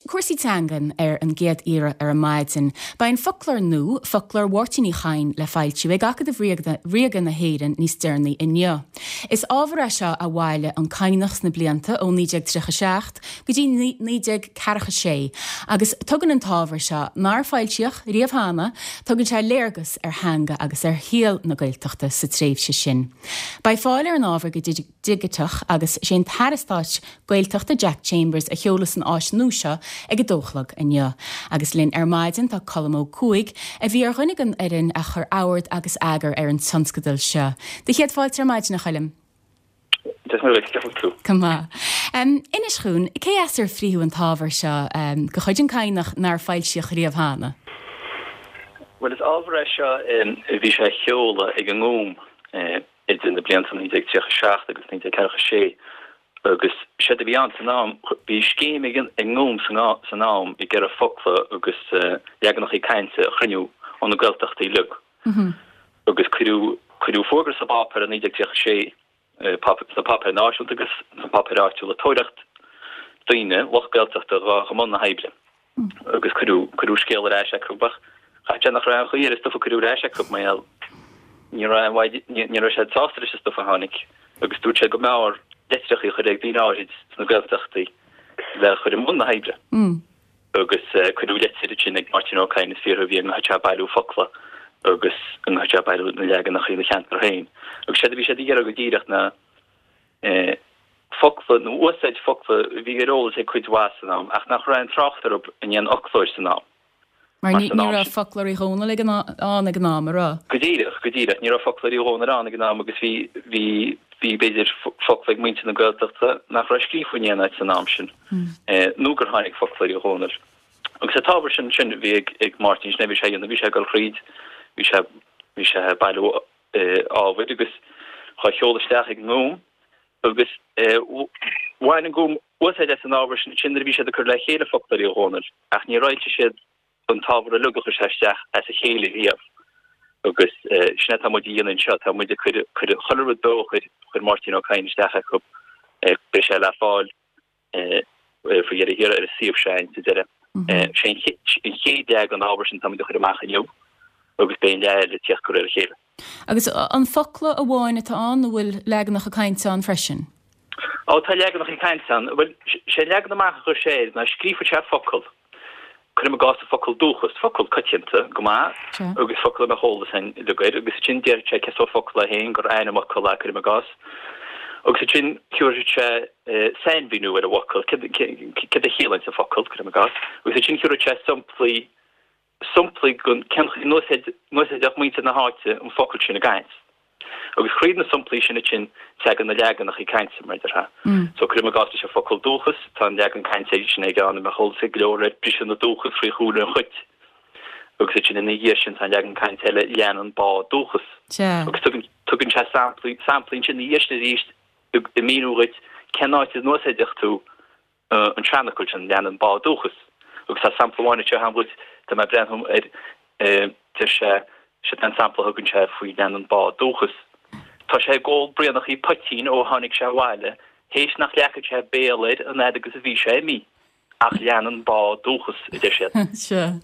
cúrsaí teangan ar an gcéad iarraidh ar maidin. Beidh an foclóir nua, Foclóir Mháirtín Uí Chadhain, le foilsiú ag Acadamh Ríoga na hÉireann níos deireanaí inniu. Is ábhar é seo a bhailigh an Cadhnach sna blianta ó 1937 go dtí 1946 agus tugann an t-ábhar seo, nár foilsíodh riamh cheana, tugann sé léargas ar theanga agus ar shaol na Gaeltachta sa tréimhse sin. Beidh fáil ar an ábhar go digiteach agus sé an tAire Stáit Gaeltachta Jack Chambers a sheolfas an áis nua seo ag a dó a chlog inniu. Agus linn ar maidin tá Colm Ó Cuaig, a bhí ar dhuine den fhoireann a chuir ord agus eagar ar an tionscadal seo. Do chéad fáilte ar maidin, a Choilm. Dia duit, cén chaoi a bhfuil tú? Go maith. Inis dhúinn, cé as ar frítheadh an t-ábhar seo de chuid an Cadhnach nár foilsíodh riamh cheana? Bhuel, is ábhar é seo a bhí sé a sheoladh ag an nGúm idir na blianta 1937 agus 1946 agus séard a bhí ann san am, bhí scéim ag an nGúm san am ag iarraidh focla agus leaganachaí cainte a chruinniú ó na Gaeltachtaí uilig agus cuireadh fógra sa bpáipéar i 1936, sna páipéir náisiúnta agus sna páipéir áitiúla, ag tóraíocht daoine, lucht Gaeltachta, a ghabh i mbun na hoibre. agus cuireadh, cuireadh scéal ar ais acu ach chaithfeadh sé nach raibh aon chaoi ar an stuif a cuireadh ar ais acu mar gheall ní raibh aon mhaith, ní, ní raibh siad sásta leis an stuif a tháinig agus dúirt siad go mb'fhearr litreacha a chur ag daoine áirid sna Gaeltachtaí le chur i mbun na hoibre. Agus cuireadh litir ansin ag Máirtín Ó Cadhain is fiafraí an mbeadh sé ag bailiú focla agus an mbeadh sé ag bailiú na leaganacha ina cheantar féin. Agus séard a bhí siad ag iarraidh go díreach ná focla nó úsáid focla a bhí ar eolas ag cuid mhaith san am ach nach raibh aon trácht orthu in aon fhoclóir san am. Mar ní raibh Foclóir Uí Dhónaill ag an ann ag an am, an raibh? Go díreach, go díreach. Ní raibh Foclóir Uí Dhónaill ann ag an am agus bhí, bhí, bhí b'fhéidir focla ag muintir na Gaeltachta nach raibh scríofa in aon áit san am sin nó gur tháinig Foclóir Uí Dhónaill. Agus an t-ábhar sin, sin a bhí ag, ag Máirtín, sin é a bhí sé a dhéanamh, bhí sé ag dul thríd, bhí sé, bhí sé ag bailiú ábhair agus dhá sheoladh isteach ag an nGúm agus bhain an Gúm úsáid as an ábhar sin ansin nuair a bhí siad ag cur le chéile Foclóir Uí Dhónaill ach níor fhoilsigh siad an t-ábhar uilig a chuir sé isteach as a chéile riamh agus sin é atá muid a dhéanamh anseo, tá muid ag cur chuile rud beo a chuir Máirtín Ó Cadhain isteach acu, beidh sé le fáil. faoi dheireadh thiar ar an suíomh seo sa deireadh. Sé an chéad leath den ábhar sin táimid a chur amach inniu agus beidh an leath eile ag tíocht de réir a chéile. Agus an focla amháin atá ann nó bhfuil leaganacha cainte ann freisin? Ó tá leaganacha cainte ann. Bhuel, sé an leagan amach a chuir sé air ná scríobhfaidh sé focal. Cuirim i gcás an focal dúchas, focal coitianta go maith agus focal a mbeadh eolas againn uilig air, agus ansin déarfaidh sé cén sórt focal é féin, gur ainmfhocal é, cuirim i gcás, agus ansin thiúrfaidh sé sainmhíniú ar an bhfocal, céard a chiallaíonns an focal, cuirim i gcás, agus ansin thiúrfaidh sé samplaí, samplaí den cén chaoi a n-úsáideadh muintir na háite an focal sin i gcaint. Agus thríd na samplaí sin ansin tagann na leaganacha cainte, mar a déarfá. So cuirim i gcás leis an focal dúchas, tá an leagan cainte sin aige ann a mbeadh eolas ag go leor air, briseadh na dúchas faoi shúile an chait. Agus ansin ina dhiaidh sin tá an leagan cainte eile, leanann bá dúchas. Agus tugann, tugann sé samplaí, samplaí ansin ina dhiaidh sin arís ag míniú dhuit cén áit a n-úsáideadh tú an seanfhocal sin, leanann bá dúchas. Agus tá sampla amháin anseo agam dhuit, tá mé ag breathnú air, deir sé, seo an sampla a thugann sé faoi leanann bá dúchas. Tá sé ag ól braonachaí poitín ó tháinig sé abhaile, théis nach leagfaidh sé béal air an fhad agus a bhí sé imithe. Ach leanann bá dúchas, a deir siad. Sea.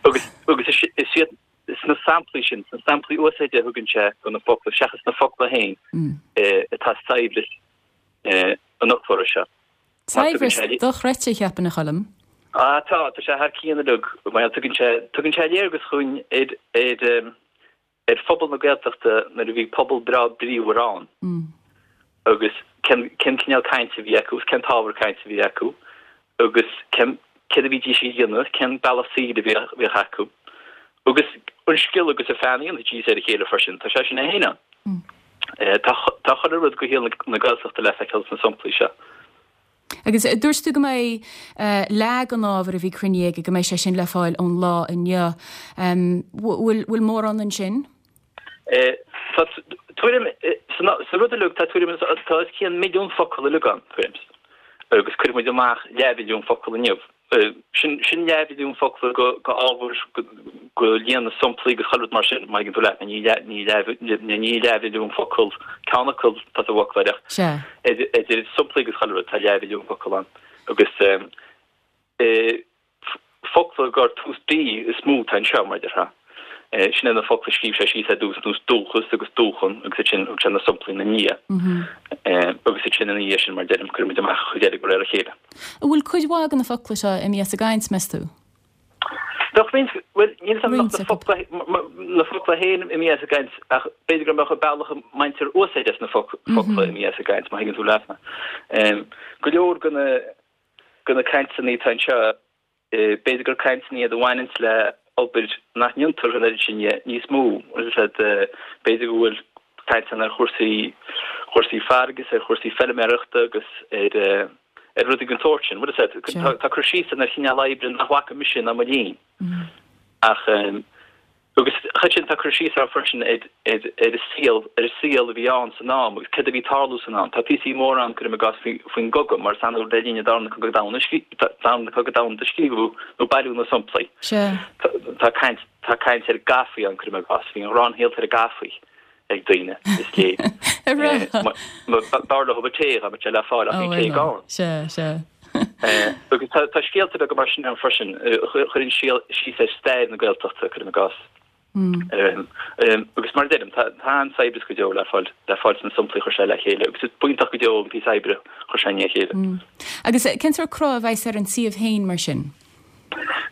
Agus, agus is iad sna samplaí sin, sna samplaí úsáide a thugann sé do na focla, seachas na focla féin, atá saibhreas an fhoclóra seo. Saibhreas dochreidte, cheapfainn, a Choilm. Ah, tá, tá sé thar cionn uilig. Bhuel, tugann sé, tugann sé léargas dhúinn ar, ar, ar phobal na Gaeltachta nuair a bhí pobal breá bríomhar ann agus cén, cén cineál cainte a bhí acu agus cén t-ábhar cainte a bhí acu agus cén, céard a bhídís a dhéanamh, cén bealach saoil a bhíodh, bhíodh acu. Agus an scil agus an pheann a dhéanfaidís ar a chéile freisin, tá sé sin é féin ann. Tá tá chuile rud de shaol na Gaeltachta le feiceáil sna samplaí seo. Agus dúirt tú go mbeidh leath den ábhar a bhí cruinnithe aige, go mbeidh sé sin le fáil ón lá inniu. Bhfuil bhfuil mórán ansin? Tá tuairim, sa rud uilig, tá tuairim, tá os cionn milliún focal uilig ann, tuairim. Agus cuirfidh muid amach leathmhilliún focal inniu. Sin sin leathmhilliún focal go go ábhar go líon na samplaí agus chuile rud mar sin, má thuigeann tú leat mé, ní leath ní leath ní leathmhilliún focal ceann acu atá sa bhfoclóir ach idir samplaí agus chuile rud tá leathmhilliún focal ann agus. Focla gur tús B is mó atá anseo, mar a déarfá. Sin é na focla a scríobh sé síos ar dtús, nós dúchas agus dúchan agus ansin thug sé na somplaí ina ndiaidh. Agus ansin ina dhiaidh sin, mar a deirim, cuireann muid amach an chuid eile de réir a chéile. An bhfuil cuid mhaith de na focla seo imithe as an gcaint, meas tú? Bheadh roinnt, bhuel, níl 'fhios a'm nach na focla, na focla féin imithe as an gcaint ach b'fhéidir go mbeadh an bealach a mbaintear úsáid as na focla imithe as an gcaint, má thuigeann tú leat mé. Go leor de na, de na cainteanna atá anseo, b'fhéidir gur cainteanna iad a bhaineanns le obair nach ndéantar an oiread sin dhe níos mó. B'fhéidir go bhfuil cainteanna ar chúrsaí, chúrsaí farraige is ar chúrsaí feilméarachta agus ar, ar rudaí den tsórt sin. Bhuel, is ea, tá cur síos ann ar chineál oibre nach bhfaca mise ná mo linn. Ach, agus chuid sin, tá cur síos ann freisin ar ar an saol, ar an saol a bhí ann san am agus céard a bhí ag tarlú san am. Tá píosaí móra ann, cuirim i gcás, faoin gcogadh, mar is annamh le linn an Darna Cogadh Domhanda, Darna Cogadh Domhanda a scríobhadh nó bailíodh na somplaí. Tá caint, tá caint ar gafaí ann, cuirim i gcás. Bhí an ghráin shaolta ar an gafaí. ag daoine, is léir. B'fhearr leo tae dá mbeadh sé le fáil ach bhí tae gann. Sea, sea. Agus tá scéalta beaga mar sin ann freisin, a chuireann síos ar stair na Gaeltachta, cuirim i gcás. Agus mar a deirim, tá an-saibhreas go deo le fáil le fáil sna samplaí a chuir sé le chéile agus is iontach go deo an píosa oibre a chuir sé i ndiaidh a chéile. Agus cén sórt cruth a bheas ar an suíomh féin mar sin?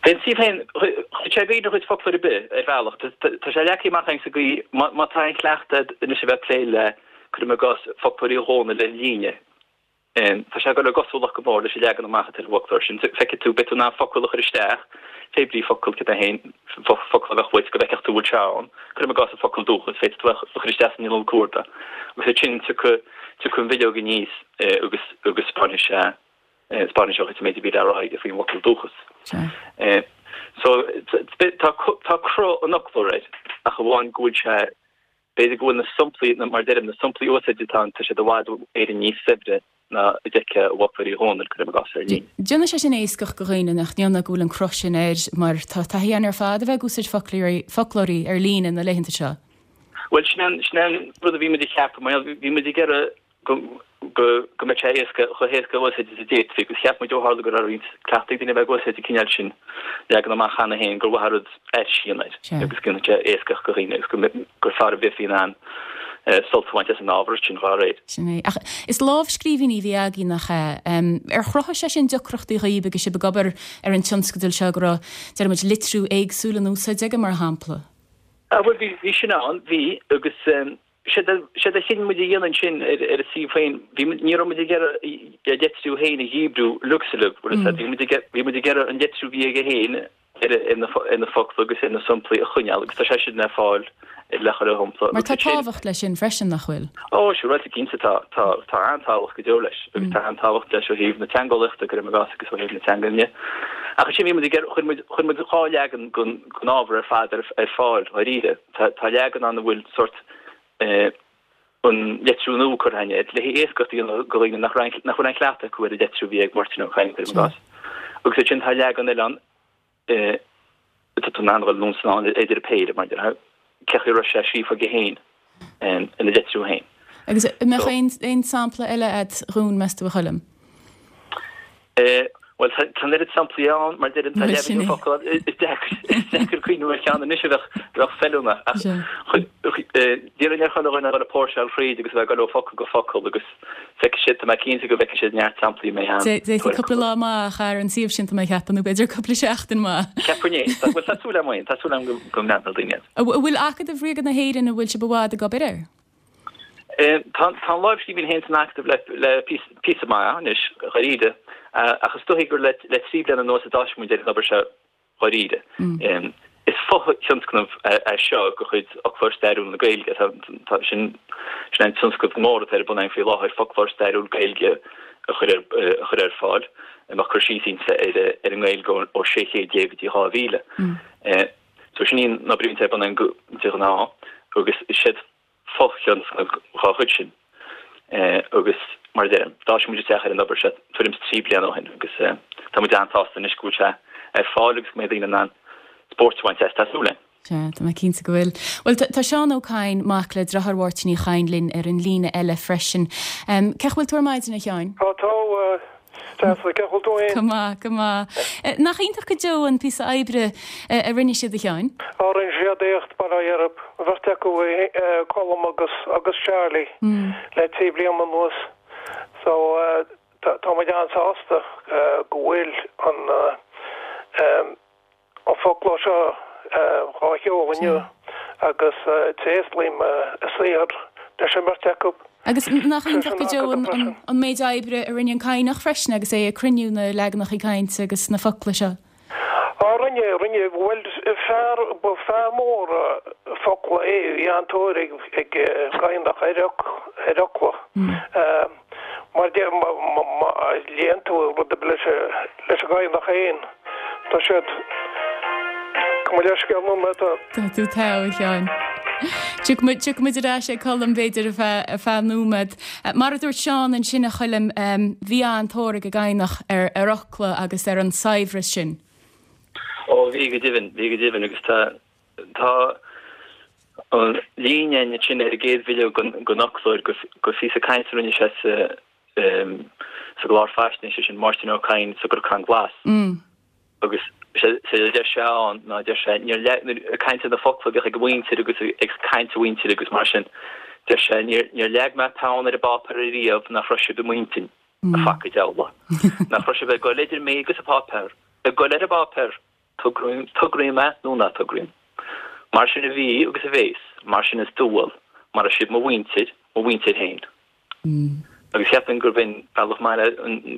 Beidh an suíomh féin, chuir sé i gcuimhne dhuit foclóir ar bith, ar bhealach. Tá sé leagtha amach againn sa gcaoi, má tá aon chleachtadh agat anois a bheith ag plé le, cuirim i gcás, foclóirí Dhónaill ar líne, tá sé ag dul i gcosúlacht go mór leis an leagan amach atá ar an bhfoclóir sin. Feicfidh tú, beidh tú in ann focal a chur isteach, pé brí focal, cad é féin, focal a bheadh uait, go bhfeicfeadh tú bhfuil sé ann, cuirim i gcás an focal dúchas, féadfaidh tú é a chur isteach san inneall cuardaigh agus ansin tiocfaidh an bhileog aníos agus agus 'spáinfidh sé 'Spáinfidh sé dhuit an méid a bhí le rá aige faoin bhfocal dúchas. So, tá tá cruth an fhoclóra air, ach amháin go bhfuil sé, b'fhéidir go bhfuil na somplaí, mar a deirim, na somplaí úsáide atá ann, tá siad i bhfad Éireann níos saibhre ná a d'fheicfeá i bhfoclóirí Dhónaill, cuirim i gcás, ar líne. Déanann sé sin éascaíocht do dhaoine, nach ndéanann, go bhfuil an cruth sin air, mar tá taithí againn ar fad a bheith ag úsáid foclóirí, foclóirí ar líne na laethanta seo. Bhuel, sin é an, sin é an rud a bhí muid a cheapadh, mar bhí muid ag iarraidh go go mbeadh sé éasca, chomh héasca a úsáid is a d'fhéadfaí, agus cheap muid ó tharla go raibh roinnt cleachtaidh ag daoine a bheith ag úsáid an cineál sin leagan amach cheana féin gur mhaith an rud aithris a dhéanamh air agus go ndéanfadh sé éascaíocht do dhaoine agus go gur fearr a bheifí in ann sult a bhaint as an ábhar sin dá réir. Sin é. Ach is lámhscríbhinní a bhí agaibh, nach ea? Ar chruthaigh sé sin deacrachtaí dhaoibh agus sibh ag obair ar an tionscadal seo go raibh, deir muid, litriú éagsúil in úsáid aige, mar shampla? Ah, bhuel, bhí, bhí sin ann, bhí, agus Séard a chinn muid a dhéanamh ansin ar an suíomh féin, bhí muid, ní raibh muid ag iarraidh a litriú féin a dhíbriú uilig is uilig, bhfuil a fhios agat, bhí muid ag, bhí muid ag iarraidh an litriú a bhí aige féin ar ar na focla agus ar na samplaí a choinneáil agus tá sé sin le fáil le chuile shampla. Mar tá tábhacht leis sin freisin, nach bhfuil? Ó, siúráilte, cinnte tá, tá, tá an-tábhacht go deo leis agus tá an-tábhacht leis ó thaobh na teangeolaíochta, cuirim i gcás, agus ó thaobh na teanga de. Ach ansin bhí muid ag iarraidh, chuir muid, chuir muid dhá leagan den, den ábhar ar fad ar, ar fáil, dháiríre. Tá leagan ann a bhfuil sórt an litriú nua curtha air le héascaíocht a dhéanamh do dhaoine nach raibh nach bhfuil aon chleachtadh acu ar an litriú a bhí ag Máirtín Ó Cadhain, cuirim i gcás. Agus ansin tá leagan eile ann atá tú in ann a dhul anonn is anall idir an péire, mar a déarfá, cé chaoi a raibh sé scríofa aige féin ina litriú féin. Agus an mbeadh aon sampla eile a'd dhúinn, meas tú, a Choilm? Bhuel, tá an oiread samplaí ann, mar deirim, tá leibhéal focal ann, is deacair cuimhneamh ar cheann anois a bheadh feiliúnach. Ach déarfainn ar chuile dhuine a dhul ag póirseáil thríd agus a bheith ag dul ó focal go focal agus feicfidh siad, tá mé cinnte go bhfeicfidh siad neart samplaí mé ann. D'fhéadfaí cúpla lá maith a chaitheamh ar an suíomh sin, tá mé ag ceapadh, nó b'fhéidir cúpla seachtain maith. Cheapfainn é. Bhuel, tá súil agam, tá súil agam go mbreathnóidh daoine air. An bhfuil Acadamh Ríoga na hÉireann, an bhfuil sibh i bhfad ag obair air? Tá an lámhscríbhinn féin san Acadamh le píosa maith anois, dháiríre, ach is dóichí gur le 3 bliana anuas a d'fhás muid ar an obair seo dháiríre. Is fo-thionscnamh é seo de chuid Fhoclóir Stairiúil na Gaeilge. Sin é an tionscnamh mór atá ar bun againn faoi láthair, foclóir stairiúil Gaeilge a chur ar fáil, a mbeadh cur síos inti ar an nGaeilge ó 16 céad go dtí 2000. So sin í an obair a bhíonn ar bun againn de ghnáth agus is iad fo-thionscnamh dhá chuid sin agus mar a deirim, d'fhás muid isteach ar an obair seo tuairim is 3 bliana ó shin agus tá muid an-sásta anois go bhfuil sé ar fáil agus go mbeidh daoine in ann spóirt a bhaint as, tá súil againn. Sea, tá mé cinnte go bhfuil. Bhuel, tá Seán Ó Cadhain, mac le deartháir Mháirtín Uí Chadhain linn ar an líne eile freisin. Cén chaoi a bhfuil tú ar maidin, a Sheáin? Tá, tá. Deas, cén chaoi a bhfuil tú fhéin? Go maith, go maith. Nach iontach go deo an píosa oibre a rinne siad, a Sheáin? Á, rinne siad éacht, bail ó Dhia orthu, an bheirt acu, Colm agus agus Charlie, le 3 bliana anuas. So, tá muid an-sásta go bhfuil an an foclóir seo á sheoladh inniu agus tréaslaím a saothar leis an mbeirt acu. Agus nach iontach go deo an méid oibre a rinne an Cadhnach freisin agus é ag cruinniú na leaganacha cainte agus na focla seo. Á, rinne, rinne. Bhuel, fear, ba fear mór focla é, bhí an-tóir ag an gCadhnach ar fhocla. Mar deir, má léann tú rud ar bith leis an gCadhnach féin, tá siad, gabh mo leithscéal nóiméad. Tá tú togha, a Sheáin. Tiocfaidh muid ar ais ag Colm, b'fhéidir, ar feadh nóiméad. Mar a dúirt Seán ansin, a Choilm, bhí an-tóir ag an gCadhnach ar fhocla agus ar an saibhreas sin. Ó, bhí go deimhin, bhí go deimhin agus tá, Tá an líne ansin ar an gcéad bhileog den fhoclóir de phíosa cainte a rinne sé sa gclár faisnéise sin, Máirtín Ó Cadhain sa gCnocán Glas. Agus sé a deir sé ann ná deir sé, níor leag, ag caint ar na focla a bhíodh ag a mhuintir agus ag caint a mhuintire agus mar sin, deir sé, níor, níor leag mé peann ar an bpáipéar ariamh nach raibh sibh i m'intinn, a phaca diabhla. Nach raibh sibh ag goil idir mé agus an páipéar, ag goil ar an bpáipéar! Tograím é nó ná tograím. Mar sin a bhí agus a bhéas, mar sin is dual, mar is sibh mo mhuintir, mo mhuintir féin. Agus cheapfainn gurb in bealach maith le,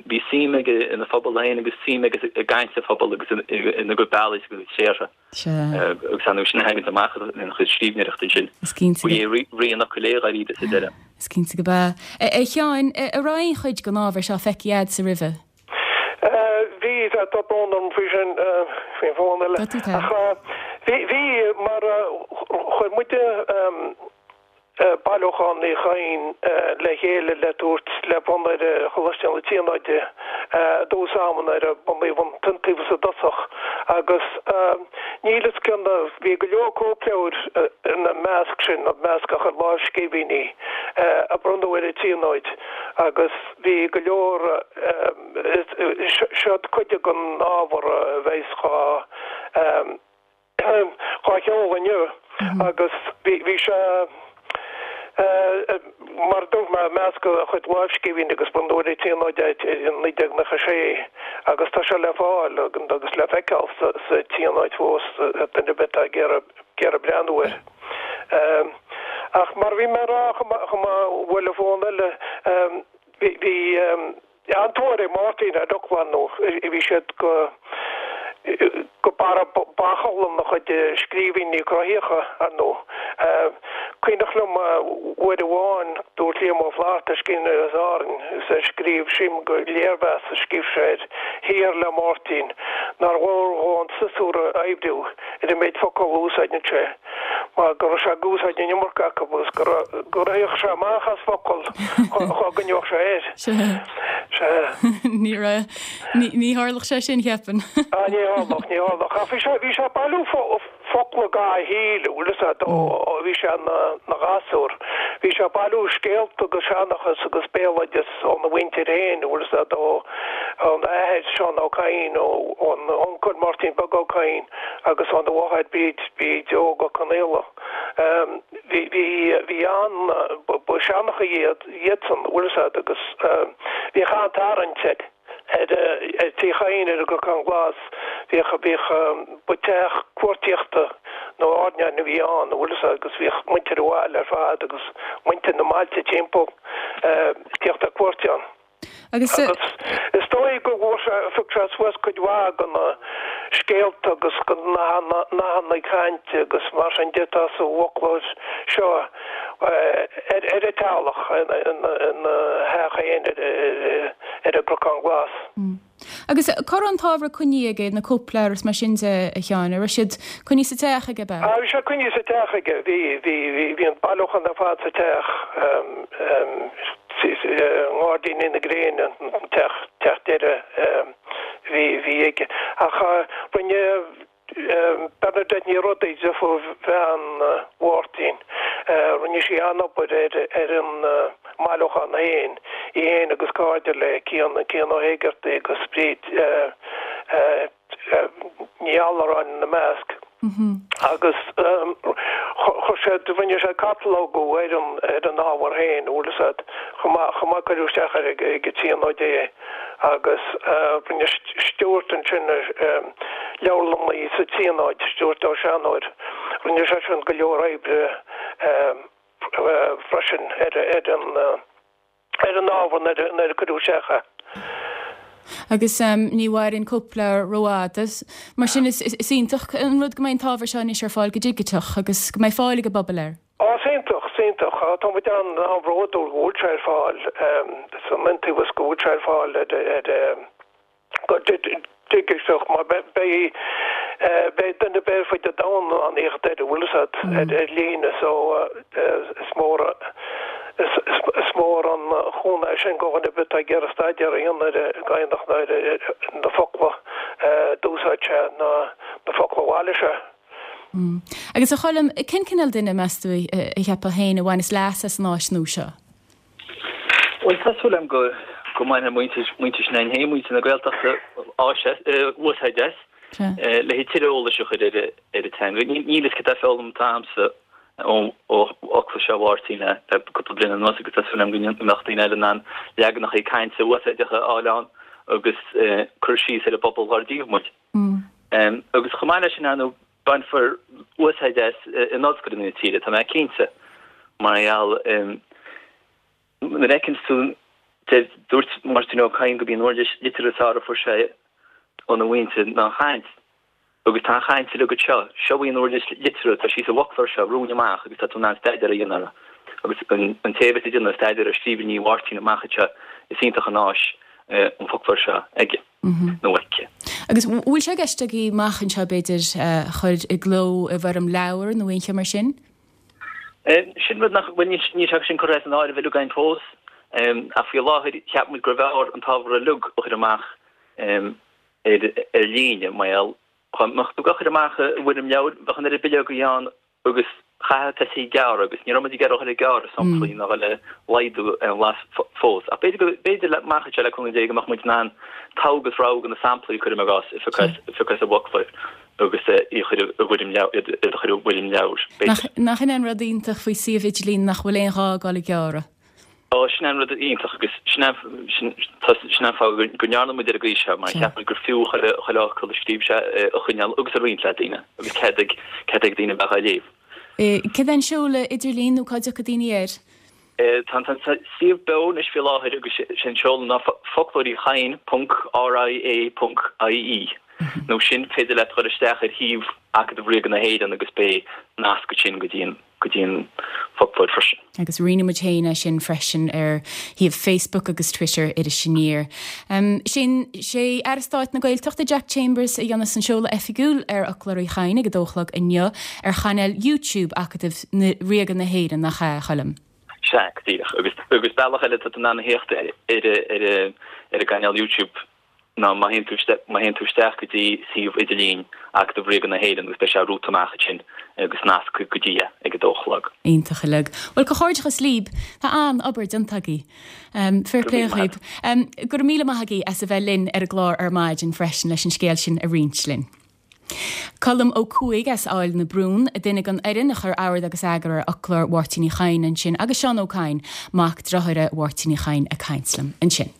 bhí suim aige ina phobal féin agus suim aige i gcaint a phobail agus ina gcuid bealaí agus a gcuid tréartha. Agus ar ndóigh sin a thagann amach ina chuid scríbhneoireachta ansin. Is cinnte. Ba é rí an fhocail é dháiríre sa deireadh. Is cinnte go b'ea. A Sheáin, an raibh aon chuid den ábhar seo feicthe a'dsa roimhe? Bhí, tá brón orm faoi sin, faoin bhfón eile. Ach bhí, bhí, mar chuir muide bailiúchán Uí Chadhain le chéile le tabhairt le bronnadh ar Choláiste na Tríonóide i dtús ama nuair a bunaíodh an tIontaobhas i dtosach agus níl fhios cén, bhí go leor cóipleabhair ina measc sin, i measc a chuid lámhscríbhinní a bronnadh ar an Tríonóid agus Bhí go leor, seod cuid den ábhar a bheas dhá sheoladh inniu agus bhí sé, mar a dúirt mé, i measc a chuid lámhscríbhinní agus bronnadh ar an Tríonóid é i 1996 agus tá sé le fáil agus le feiceáil sa Tríonóid fós, duine ar bith atá ag iarraidh breathnú air. Ach mar a bhí mé a rá, chomh maith bhuail an fón eile, bhí an-tóir ag Máirtín ar fhocla nó bhí siad go go barra bachall ina chuid scríbhinní cruthaitheacha, ar ndóigh. Cuimhneach liom uair amháin, dúirt Liam Ó Flaithearta, scríbhneoir as Árainn, agus é ag scríobh, sílim gur léirmheas a scríobh sé ar shaothar le Máirtín, nár mhór dhó an siosúr a oibriú ar an méid focal a úsáideann sé. mar go raibh sé ag úsáid an iomarca acu agus go go rithfeadh sé amach as focail dhá gcoinneodh sé air. Sea. Sea. Ní raibh, ní, ní tharlódh sé sin, cheapfainn. Ah, ní tharlódh, ní tharlódh. Ach bhí sé, bhí sé ag bailiú focla dhá shaol, bhfuil fhios a'd, ó bhí sé ina, ina ghasúr. Bhí sé ag bailiú scéalta agus seanchas agus béaloideas óna mhuintir féin, bhfuil fhios a'd, ó, óna athair, Seán Ó Cadhain, ó, óna uncail Máirtín Beag Ó Cadhain. agus óna mháthair Bríd, Bríd Óg Ó Conaola. Bhí, bhí, bhí an, ba seanchaí iad, iadsan, bhfuil fhios a'd, agus bhíodh an-tarraingt ar, ar, ar Tigh Chadhain ar an gCnocán Glas, bhíodh, bhíodh, ba teach cuartaíochta nó airneáin a bhí ann, bhfuil fhios a'd, agus bhíodh muintir an bhaile ar fad agus muintir na mbailte timpeall ag tíocht ar cuairt ann. Agus. Agus is dóigh go bhfuair sé, phioc sé suas cuid mhaith de na scéalta agus de na nathanna cainte agus mar sin de atá sa bhfoclóir seo ar ar a teaghlach ina theach féin ar an gCnocán Glas. Agus cá raibh an t-ábhar coinnithe aige, na cóipleabhair is mar sin de, a Sheáin? An raibh siad coinnithe sa teach aige, ab ea? Bhí sé coinnithe sa teach aige. Bhí, bhí, bhí an bailiúchán ar fad sa teach. I nGairdíní na Gréine, an teach, teach deiridh a bhí, bhí aige. Ach rinne. Bernadette Ní Rodaigh, deirfiúr bhean Mháirtín, rinne sí an-obair ar an mbailiúchán féin, í féin agus cairde léi, Cian, Cian Ó hÉigeartaigh agus Bríd Ní Allaráin ina measc. Agus chuir siad, rinne siad catalógú ar an, ar an ábhar féin, bhfuil fhios a'd, chomh maith, chomh maith cuireadh isteach ar ag an Tríonóid é agus rinne Stuart ansin, leabharlannaí sa Tríonóid, Stuart Ó Seanóir, rinne seisean go leor oibre freisin ar an, ar an ábhar nuair a cuireadh isteach é. Agus ní mhaireann cóipleabhar rófhada. Mar sin is iontach an rud go mbeidh an t-ábhar seo anois ar fáil go digiteach agus go mbeidh fáil ag an bpobal air. Á, is iontach, is iontach. Tá muid an-bhródúil go bhfuil sé ar fáil san iontaobhas go bhfuil sé ar fáil ar go digiteach mar beidh beidh duine ar bith ar fud an domhain in ann theacht air, bhfuil fhios a'd, ar líne so is mór is mór an chúnamh é sin do dhuine ar bith atá ag iarraidh staidéar a dhéanamh ar an gCadhnach nó ar na focla a d'úsáid sé nó na focla a bhailigh sé. Agus a Choilm, cén cineál duine, meas tú, a cheapfá féin a bhaineas leas as an áis nua seo? Bhuel, tá súil agam go go mbainfidh muintir muintir s'againn féin, muintir na Gaeltachta, áis as, úsáid as, le tuilleadh eolais a chur ar ar an teanga. Níl fhios cad é foghlamtha agamsa ó ó fhoclóir seo Mháirtín le le cúpla bliain anuas agus tá súil agam go mbeadh daoine eile in ann leaganacha cainte úsáideacha a fháil ann agus cur síos ar an bpobal dhár díobh muid. Agus chomh maith leis sin, ar ndóigh, bainfear úsáid as in ollscoileanna na tíre, tá mé cinnte, mar gheall nuair a fheiceann tú, dúirt Máirtín Ó Cadhain gurb í an uirlis liteartha is fearr a fuair sé óna mhuintir ná an chaint, agus tá an chaint uilig anseo, seo í an uirlis liteartha, tá sí sa bhfoclóir seo romhainn amach agus tá tú in ann staidéar a dhéanamh uirthi. Agus an té a bheas ag déanamh staidéar ar scríbhinní Mháirtín amach anseo, is iontach an áis an foclóir seo aige. nó aici. Agus bhfuil sé i gceist agaibh amach anseo, b'fhéidir, a chur i gcló i bhfoirm leabhair nó aon cheo mar sin? Sin rud nach bhfuil, níl sé sin curtha as an áireamh uilig againn fós, ach faoi láthair cheap muid gurbh fhearr an t-ábhar uilig a chur amach ar líne, mar gheall, dá mbeadh tú á chur amach i bhfoirm leabhair, bheadh an oiread bileogaí ann agus chaithfeá tosaí ag gearradh agus ní raibh muid ag iarraidh a dhul ag gearradh samplaí ná dhul ag laghdú aon bhlas fós. Ach b'fhéidir go, b'fhéidir le, amach anseo le cúnamh Dé go mbeadh muid in ann togha agus rogha de na samplaí, cuirim i gcás, a phiocadh as, a phiocadh as an bhfoclóir agus í a chur i bhfoirm leabhair, iad a chur i bhfoirm leabhair, b'fhéidir. Nach in é an rud iontach faoi suíomh idirlín nach bhfuil aon ghá a dhul ag gearradh? Ó, sin é an rud iontach agus sin é, sin, tá, sin é an fáth go, go ndearna muid ar an gcaoi seo mar cheap muid gur fiú chuile, chuile fhocal a scríobh sé a choinneáil agus a roinnt le daoine agus cead ag, cead ag daoine bheith á léamh. Cad é an seoladh idirlín nó cá dtiocfaidh daoine air? Tá an suíomh beo anois faoi láthair agus sé an seoladh ná foclóir Uí Chadhain ponc ria ponc ie nó sin féidir leat dul isteach ar shuíomh Acadamh Ríoga na hÉireann agus beidh nasc ansin go dtí an go dtí an foclóir freisin. Agus roinnfidh muid féin é sin freisin ar shuíomh Facebook agus Twitter Iris Aniar. Sin, sé Aire Stáit na Gaeltachta Jack Chambers a dhéanfas an seoladh oifigiúil ar Fhoclóir Uí Chadhain ag a dó a chlog inniu ar chainéal YouTube Acadamh Ríoga na hÉireann, nach ea, a Choilm? Sea, go díreach. Agus, agus bealach eile atá tú in ann a theacht ar, ar, ar, ar an gcainéal YouTube ná má théann tú má théann tú isteach go dtí suíomh idirlín Acadamh Ríoga na hÉireann agus beidh sé rúta amach ansin agus nasc go dtí é ag a dó a chlog. Iontach uilig. Bhuel, comhghairdeachas libh. Tá an-obair déanta agaibh. Fair play dhaoibh. Go raibh míle maith agaibh as a bheith linn ar an gclár ar maidin freisin leis an scéal sin a roinnt linn. Colm Ó Cuaig as Aill na Brún, duine den fhoireann a chuir ord agus eagar ar fhoclóir Mháirtín Uí Chadhain ansin agus Seán Ó Cadhain, mac dearthára Mháirtín Uí Chadhain ag caint liom ansin.